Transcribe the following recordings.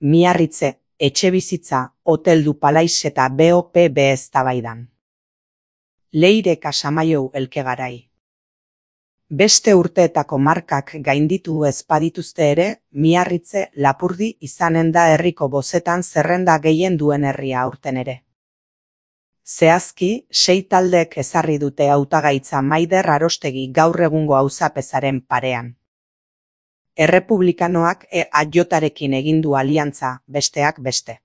Miarritze, etxebizitza, Hotel du Palais eta BOPB eztabaidan. Leire Casamaiou Elkegarai. Beste urteetako markak gainditu ez badituzte ere, Miarritze Lapurdi izanen da herriko bozetan zerrenda gehien duen herria aurten ere. Zehazki, 6 taldeek ezarri dute hautagaitza Maider Arostegi gaur egungo auzapezaren parean. Errepublikanoak EAJarekin egin du aliantza, besteak beste.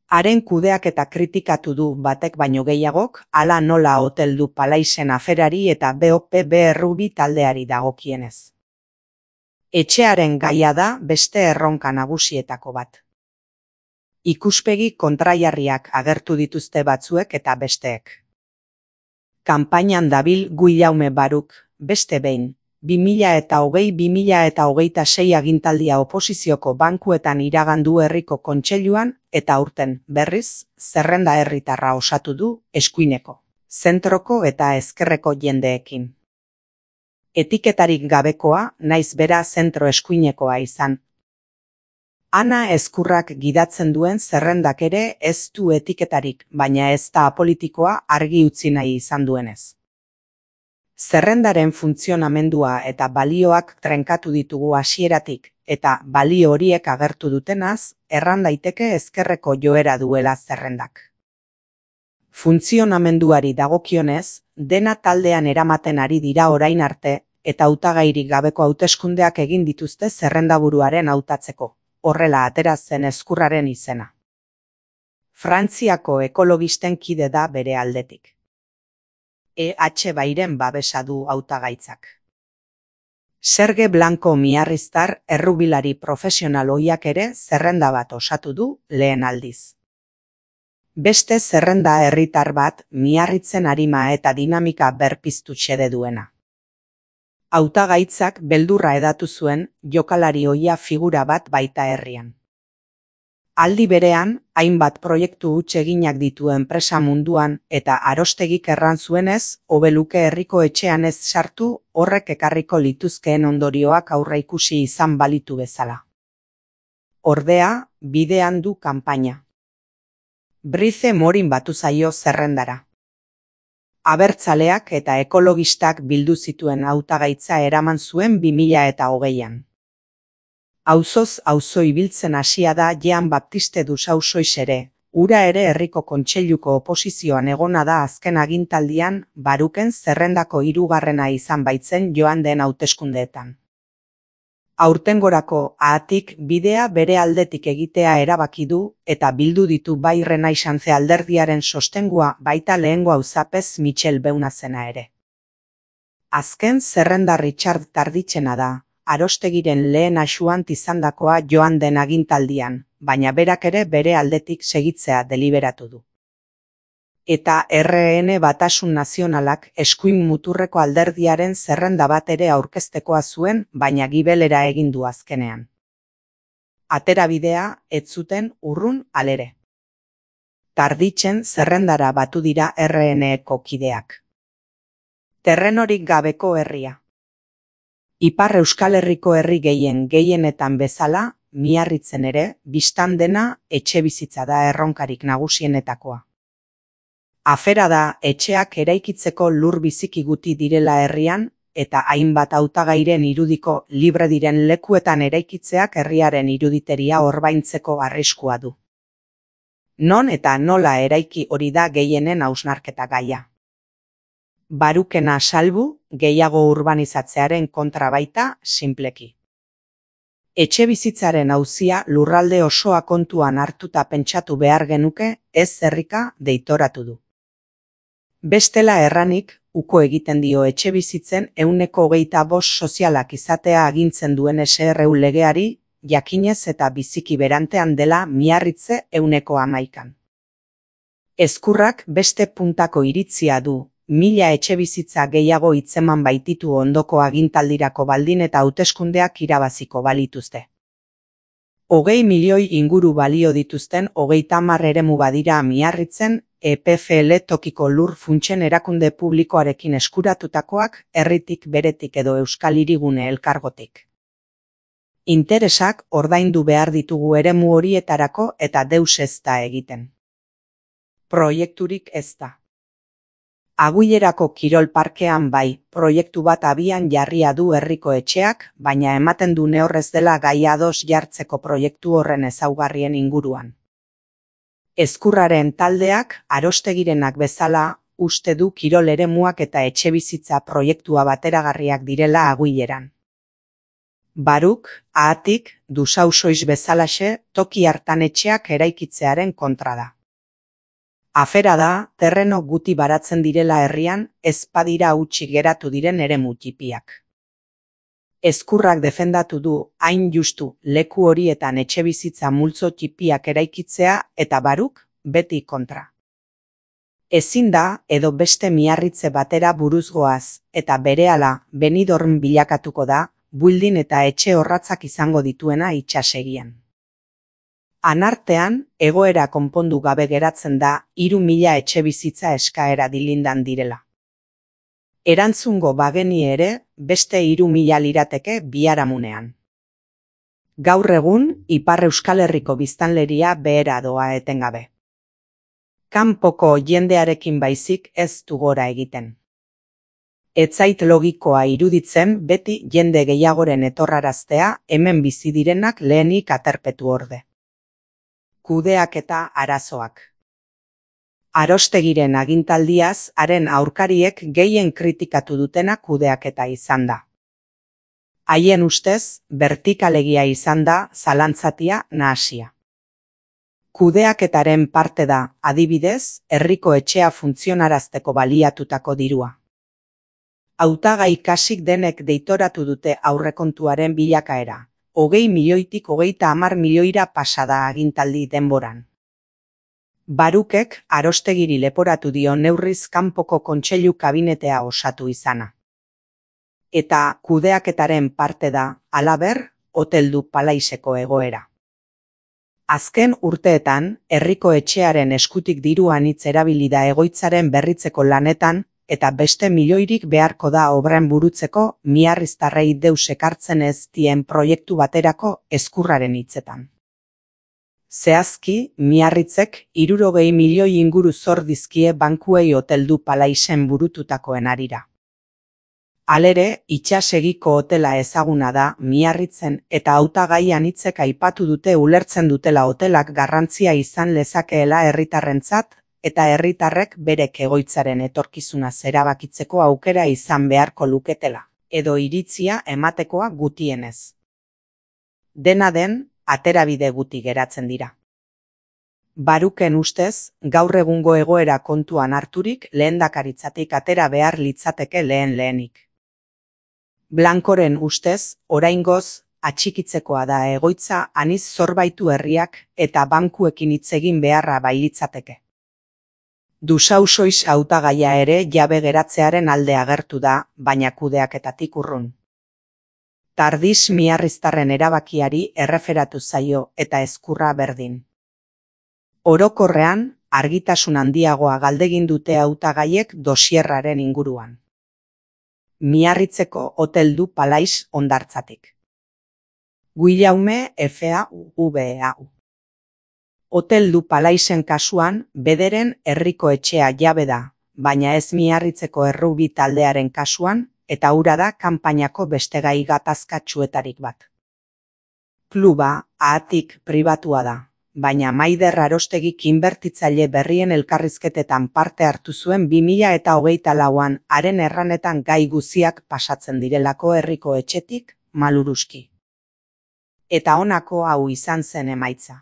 Haren kudeaketa kritikatu du batek baino gehiagok, hala nola Hotel du Palaisen aferari eta BOPB errubi taldeari dagokienez. Etxearen gaia da beste erronka nagusietako bat. Ikuspegi kontraiarriak agertu dituzte batzuek eta besteek. Kanpainan dabil Guillaume Baruk, beste behin, 2020-2026 agintaldia oposizioko bankuetan iragandu herriko kontseiluan eta aurten, berriz, zerrenda herritarra osatu du eskuineko, zentroko eta ezkerreko jendeekin. Etiketarik gabekoa, naiz bera zentro eskuinekoa izan. Ana Ezkurrak gidatzen duen zerrendak ere ez du etiketarik, baina ez da apolitikoa argi utzi nahi izan duenez. Zerrendaren funtzionamendua eta balioak trenkatu ditugu hasieratik, eta balio horiek agertu dutenaz, erran daiteke ezkerreko joera duela zerrendak. Funtzionamenduari dagokionez, dena taldean eramaten ari dira orain arte, eta hautagairik gabeko hauteskundeak egin dituzte zerrendaburuaren hautatzeko, horrela atera zen Ezkurraren izena. Frantziako ekologisten kide da bere aldetik. EH Bairen babesa du hautagaitzak. Serge Blanco miarriztar errubilari profesional ohiak ere zerrenda bat osatu du lehen aldiz. Beste zerrenda herritar bat Miarritzen arima eta dinamika berpiztu xede duena. Hautagaitzak beldurra edatu zuen jokalari ohia figura bat baita herrian. Aldi berean, hainbat proiektu huts eginak ditu enpresa munduan eta Arostegik erran zuenez, hobe luke herriko etxean ez sartu, horrek ekarriko lituzkeen ondorioak aurreikusi izan balitu bezala. Ordea, bidean du kanpaina. Brice Morin batu zaio zerrendara. Abertzaleak eta ekologistak bildu zituen hautagaitza eraman zuen 2020an. Auzoz auzo ibiltzen hasia da Jean Baptiste du Sausois ere, ura ere herriko kontseiluko oposizioan egona da azken agintaldian, Baruken zerrendako 3. izan baitzen joan den hauteskundeetan. Aurtengorako ahatik bidea bere aldetik egitea erabaki du eta bildu ditu bai Renaissance alderdiaren sostengua baita lehengo auzapez Michel Beunazena ere. Azken zerrenda Richard Tarditxena da. Arostegiren lehen asuant izandakoa joan den agintaldian, baina berak ere bere aldetik segitzea deliberatu du. Eta RN Batasun Nazionalak eskuin muturreko alderdiaren zerrenda bat ere aurkeztekoa zuen, baina gibelera egin du azkenean. Aterabidea ez zuten urrun alere. Tarditzen zerrendara batu dira RN-eko kideak. Terrenorik gabeko herria. Ipar Euskal Herriko herri gehienetan bezala, Miarritzen ere, bistan dena etxebizitza da erronkarik nagusienetakoa. Afera da etxeak eraikitzeko lur biziki guti direla herrian, eta hainbat hautagairen irudiko libre diren lekuetan eraikitzeak herriaren iruditeria orbaintzeko arriskua du. Non eta nola eraiki hori da gehienen hausnarketa gaia. Barukena salbu, gehiago urbanizatzearen kontra baita, sinpleki. Etxebizitzaren auzia lurralde osoa kontuan hartuta pentsatu behar genuke, ez herrika deitoratu du. Bestela erranik, uko egiten dio etxebizitzen 25% sozialak izatea agintzen duen SRU legeari, jakinez eta biziki berantean dela Miarritze 11%. Ezkurrak beste puntako iritzia du, 1000 etxebizitza gehiago hitzeman baititu ondoko agintaldirako baldin eta hauteskundeak irabaziko balituzte. 20 milioi inguru balio dituzten 30 eremu badira Miarritzen, EPFL tokiko lur funtsen erakunde publikoarekin eskuratutakoak herritik beretik edo Euskal Hirigune elkargotik. Interesak ordaindu behar ditugu eremu horietarako eta deus ez da egiten. Proiekturik ez da. Aguilerako kirol parkean bai, proiektu bat abian jarria du herriko etxeak, baina ematen du neurrez dela gai ados jartzeko proiektu horren ezaugarrien inguruan. Ezkurraren taldeak, Arostegirenak bezala, uste du kirol eremuak eta etxebizitza proiektua bateragarriak direla Aguileran. Baruk, Ahatik, Dusausoiz bezalaxe, toki hartan etxeak eraikitzearen kontra da. Afera da, terreno guti baratzen direla herrian, ez badira hutsik geratu diren eremu txipiak. Ezkurrak defendatu du, hain justu, leku horietan etxebizitza multzo txipiak eraikitzea eta Baruk, beti kontra. Ezin da, edo beste Miarritze batera buruz goaz, eta berehala Benidorm bilakatuko da, building eta etxe orratzak izango dituena itsasegian. Anartean, egoera konpondu gabe geratzen da 3.000 etxebizitza eskaera dilindan direla. Erantzungo bageni ere, beste 3.000 lirateke biharamunean. Gaur egun, Ipar Euskal Herriko biztanleria behera doa etengabe. Kanpoko jendearekin baizik ez du gora egiten. Ez zait logikoa iruditzen beti jende gehiagoren etorraraztea hemen bizi direnak lehenik aterpetu orde. Kudeaketa arazoak. Arostegiren agintaldiaz, haren aurkariek gehien kritikatu dutena kudeaketa izan da. Haien ustez, bertikalegia izan da zalantzatia nahasia. Kudeaketaren parte da, adibidez, herriko etxea funtzionarazteko baliatutako dirua. Hautagai kasik denek deitoratu dute aurrekontuaren bilakaera. 20 milioitik 30 milioira pasada agintaldi denboran. Barukek Arostegiri leporatu dio neurriz kanpoko kontseilu kabinetea osatu izana. Eta kudeaketaren parte da, halaber, Hotel du Palaiseko egoera. Azken urteetan, herriko etxearen eskutik diru anitz erabili da egoitzaren berritzeko lanetan, eta beste milioirik beharko da obren burutzeko miarriztarrei deus ekartzen ez dien proiektu baterako Ezkurraren hitzetan. Zehazki, Miarritzek 60 milioi inguru zor dizkie bankuei Hotel du Palaisen burututakoen harira. Halere, itsasegiko hotela ezaguna da Miarritzen eta hautagai anitzek aipatu dute ulertzen dutela hotelak garrantzia izan lezakeela herritarrentzat, eta herritarrek berek egoitzaren etorkizuna erabakitzeko aukera izan beharko luketela, edo iritzia ematekoa gutienez. Dena den, aterabide guti geratzen dira. Baruken ustez, gaur egungo egoera kontuan harturik lehendakaritzatik atera behar litzateke lehenik. Blankoren ustez, oraingoz, atxikitzekoa da egoitza aniz zorbaitu herriak eta bankuekin hitz egin beharra bailitzateke. Dusausoiz hautagaia ere jabe geratzearen alde agertu da, baina kudeaketatik urrun. Tardiz miarriztarren erabakiari erreferatu zaio eta Ezkurra berdin. Orokorrean, argitasun handiagoa galdegin dute hautagaiek dosierraren inguruan. Miarritzeko Hotel du Palais hondartzatik. Guillaume FAUVAU. Hotel du Palaisen kasuan, bederen herriko etxea jabe da, baina ez Miarritzeko errubi taldearen kasuan, eta hura da kanpainako beste gai gatazkatsuetarik bat. Kluba, Ahatik, pribatua da, baina Maider Arostegik inbertitzaile berrien elkarrizketetan parte hartu zuen 2024an haren erranetan gai guziak pasatzen direlako herriko etxetik, maluruski. Eta honako hau izan zen emaitza.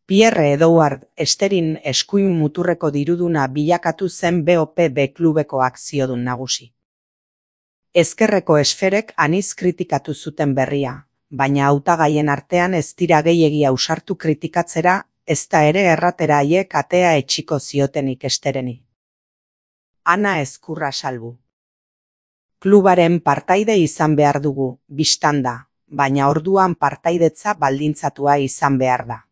Pierre Edouard Esterin eskuin muturreko diruduna bilakatu zen BOPB klubeko akziodun nagusi. Ezkerreko esferek aniz kritikatu zuten berria, baina hautagaien artean ez dira gehiegi ausartu kritikatzera, ezta ere erratera haiek atea etxiko ziotenik Estereni. Ana Ezkurra salbu. Klubaren partaide izan behar dugu, bistan da, baina orduan partaidetza baldintzatua izan behar da.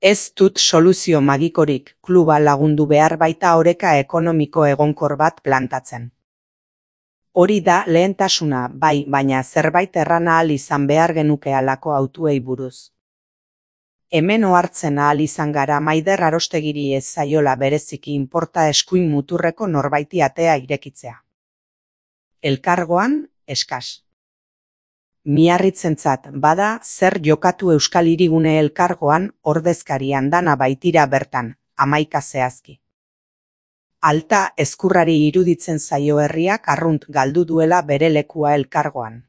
Ez dut soluzio magikorik, kluba lagundu behar baita oreka ekonomiko egonkor bat plantatzen. Hori da lehentasuna, bai, baina zerbait erran ahal izan behar genuke halako hautuei buruz. Hemen ohartzen ahal izan gara Maider Arostegiri ez zaiola bereziki inporta eskuin muturreko norbaiti atea irekitzea. Elkargoan, eskas. Miarritzentzat bada zer jokatu Euskal Hirigune Elkargoan ordezkarian dana baitira bertan, 11 zehazki. Alta ezkurrari iruditzen zaio herriak arrunt galdu duela bere lekua elkargoan.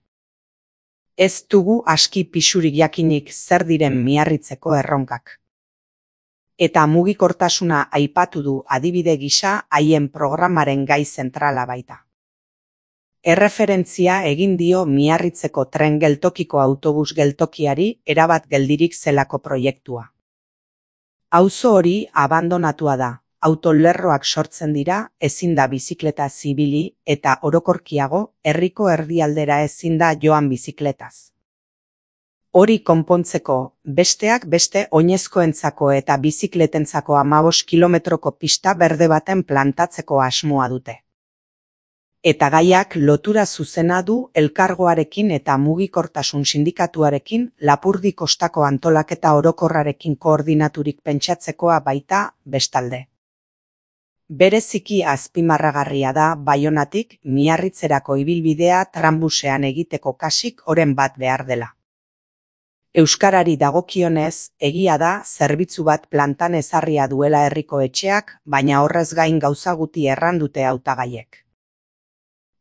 Ez dugu aski pisurik jakinik zer diren miarritzeko erronkak. Eta mugikortasuna aipatu du adibide gisa haien programaren gai zentrala baita. Erreferentzia egin dio Miarritzeko tren geltokiko autobus geltokiari erabat geldirik zelako proiektua. Auzo hori abandonatua da, autolerroak sortzen dira, ezin da bizikleta zibili eta orokorkiago herriko erdialdera ezin da joan bizikletaz. Hori konpontzeko, besteak beste oinezkoentzako eta bizikletentzako 15 kilometroko pista berde baten plantatzeko asmoa dute. Eta gaiak lotura zuzena du elkargoarekin eta mugikortasun sindikatuarekin Lapurdi kostako antolaketa orokorrarekin koordinaturik pentsatzekoa baita bestalde. Bereziki azpimarragarria da Baionatik Miarritzerako ibilbidea tranbusean egiteko kasik oren bat behar dela. Euskarari dagokionez, egia da zerbitzu bat plantan ezarria duela herriko etxeak, baina horrez gain gauza guti errandute hautagaiek.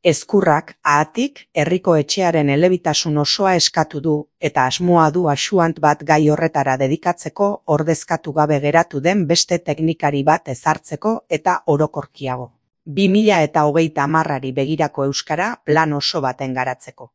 Ezkurrak, ahatik, herriko etxearen elebitasun osoa eskatu du, eta asmoa du axuant bat gai horretara dedikatzeko ordezkatu gabe geratu den beste teknikari bat ezartzeko eta orokorkiago. 2030 begirako euskara plan oso baten garatzeko.